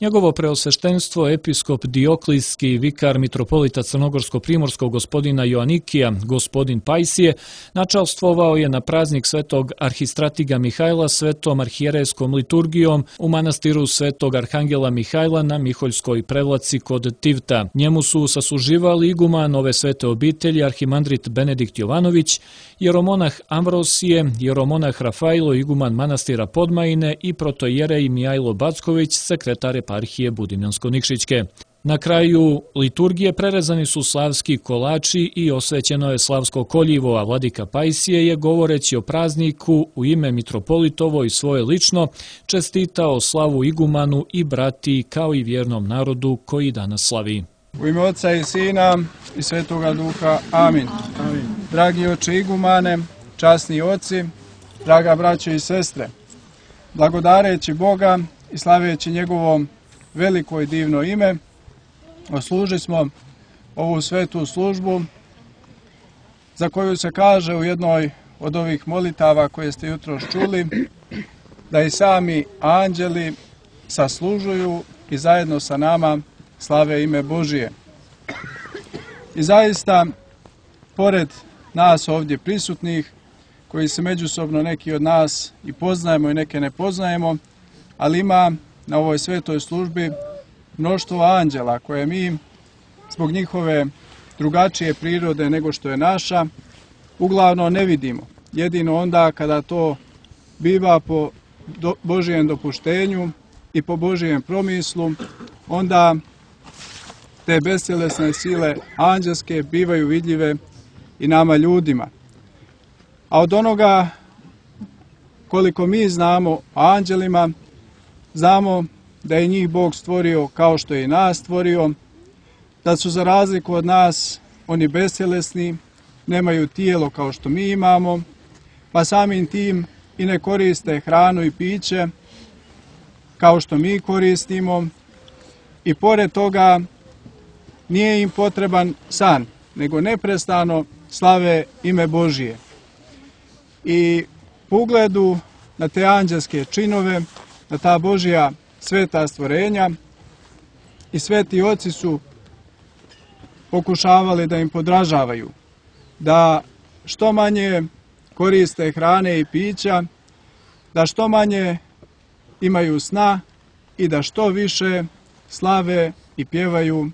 Njegovo preosveštenstvo episkop Dioklijski, vikar mitropolita Crnogorsko-primorskog gospodina Joanikija, gospodin Pajsije, načalstvovao je na praznik svetog arhistratiga Mihajla svetom arhijerejskom liturgijom u manastiru svetog arhangela Mihajla na Miholjskoj prevlaci kod Tivta. Njemu su sasuživali iguman ove svete obitelji arhimandrit Benedikt Jovanović, jeromonah Amvrosije, jeromonah Rafailo, iguman manastira Podmajine i protojerej Mijajlo Backović, sekretar eparhije Budimljansko-Nikšićke. Na kraju liturgije prerezani su slavski kolači i osvećeno je slavsko koljivo, a vladika Pajsije je, govoreći o prazniku u ime mitropolitovo i svoje lično, čestitao slavu igumanu i brati kao i vjernom narodu koji danas slavi. U ime Oca i Sina i Svetoga Duha. Amin. Dragi oče igumane, časni oci, draga braćo i sestre, blagodareći Boga i slaveći njegovo veliko i divno ime, oslužili smo ovu svetu službu za koju se kaže u jednoj od ovih molitava koje ste jutros čuli, da i sami anđeli saslužuju i zajedno sa nama slave ime Božije. I zaista, pored nas ovdje prisutnih, koji se međusobno neki od nas i poznajemo i neke ne poznajemo, ali ima na ovoj svetoj službi mnoštvo anđela koje mi, zbog njihove drugačije prirode nego što je naša, uglavnom ne vidimo. Jedino onda kada to biva po Božijem dopuštenju i po Božijem promislu, onda te bestjelesne sile anđelske bivaju vidljive i nama ljudima. A od onoga koliko mi znamo o anđelima, znamo da je njih Bog stvorio kao što je i nas stvorio, da su za razliku od nas oni bestjelesni, nemaju tijelo kao što mi imamo, pa samim tim i ne koriste hranu i piće kao što mi koristimo, i pored toga nije im potreban san, nego neprestano slave ime Božije. I po ugledu na te anđelske činove, na ta Božja sveta stvorenja, i sveti oci su pokušavali da im podražavaju, da što manje koriste hrane i pića, da što manje imaju sna i da što više slave i pjevaju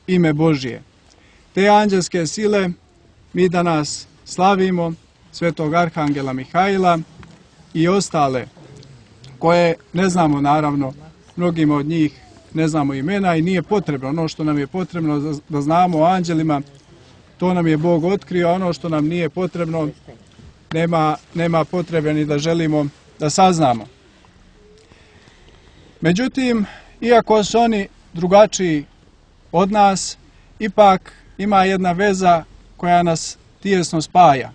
ime Božije. Te anđelske sile mi danas slavimo, svetog arhangela Mihajla i ostale koje ne znamo, naravno, mnogima od njih ne znamo imena i nije potrebno. Ono što nam je potrebno da znamo o anđelima, to nam je Bog otkrio, a ono što nam nije potrebno, nema potrebe ni da želimo da saznamo. Međutim, iako su oni drugačiji od nas, ipak ima jedna veza koja nas tijesno spaja,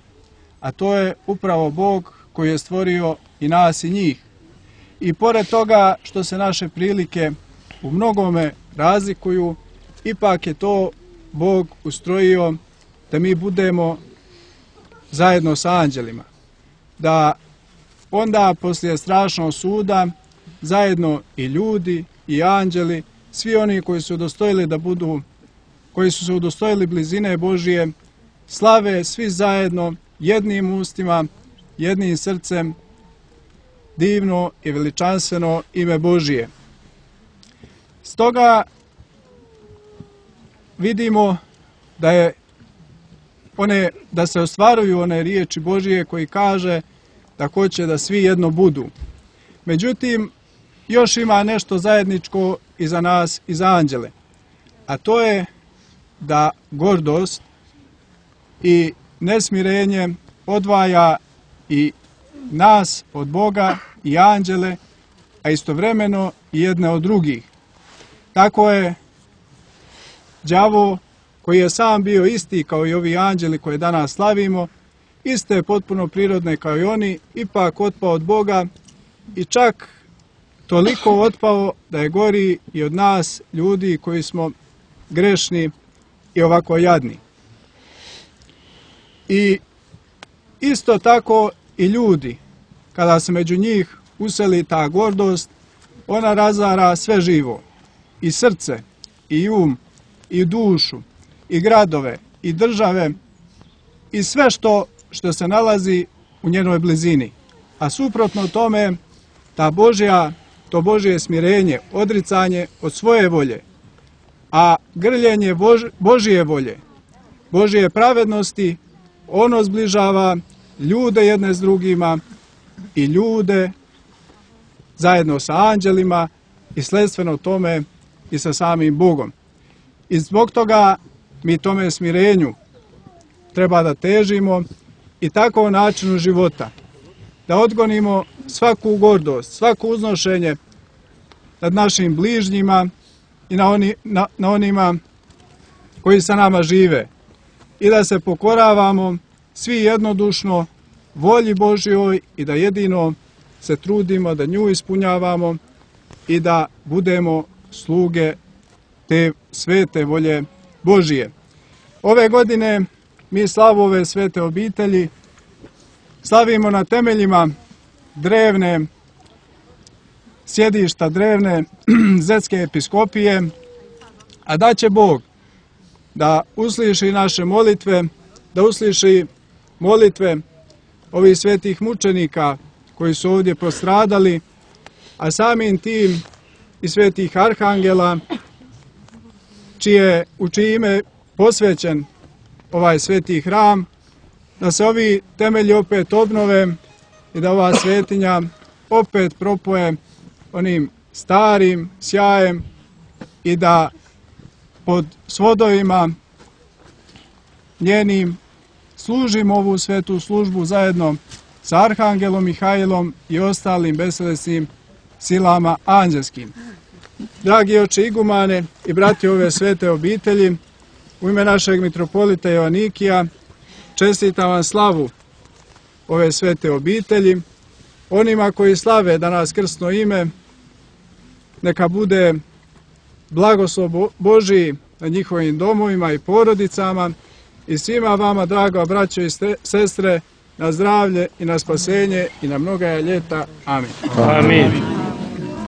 a to je upravo Bog koji je stvorio i nas i njih. I pored toga što se naše prilike u mnogome razlikuju, ipak je to Bog ustrojio da mi budemo zajedno sa anđelima. Da onda poslije strašnog suda zajedno i ljudi i anđeli, svi oni koji su udostojili da budu, koji su se udostojili blizine Božije, slave svi zajedno jednim ustima, jednim srcem, divno i veličanstveno ime Božije. Stoga vidimo da se ostvaruju one riječi Božije koji kaže da hoće da svi jedno budu. Međutim, još ima nešto zajedničko i za nas i za anđele, a to je da gordost i nesmirenje odvaja i nas od Boga i anđele, a istovremeno i jedne od drugih. Tako je đavo, koji je sam bio isti kao i ovi anđeli koje danas slavimo, iste potpuno prirodne kao i oni, ipak otpao od Boga i čak toliko otpao da je gori i od nas, ljudi koji smo grešni i ovako jadni. I isto tako i ljudi, kada se među njih useli ta gordost, ona razara sve živo. i srce, i i dušu, i gradove, i države, i sve što se nalazi u njenoj blizini. A suprotno tome, to Božje smirenje, odricanje od svoje volje, a grljenje Božje volje, Božje pravednosti, ono zbližava ljude jedne s drugima i ljude zajedno sa anđelima i sledstveno tome i sa samim Bogom. I zbog toga mi tome smirenju treba da težimo i tako načinu života, da odgonimo svaku gordost, svako uznošenje nad našim bližnjima i na onima koji sa nama žive i da se pokoravamo svi jednodušno volji Božjoj i da jedino se trudimo da nju ispunjavamo i da budemo sluge te svete volje Božije. Ove godine mi slavu ove svete obitelji slavimo na temeljima drevne sjedišta, drevne Zetske episkopije, a da će Bog da usliši naše molitve, da usliši molitve ovih svetih mučenika koji su ovdje postradali, a samim tim i svetih arhangela u čije ime posvećen ovaj sveti hram, da se ovi temelji opet obnove i da ova svetinja opet propoje onim starim sjajem i da pod svodovima njenim služimo ovu svetu službu zajedno sa arhangelom Mihajlom i ostalim beselesnim silama anđelskim. Dragi oče igumane i brati ove svete obitelji, u ime našeg mitropolita Joanikija čestitam vam slavu ove svete obitelji. Onima koji slave danas krstno ime, neka bude blagoslov Božiji na njihovim domovima i porodicama i svima vama, draga braćo i sestre, na zdravlje i na spasenje i na mnoga ljeta. Amin. Amin.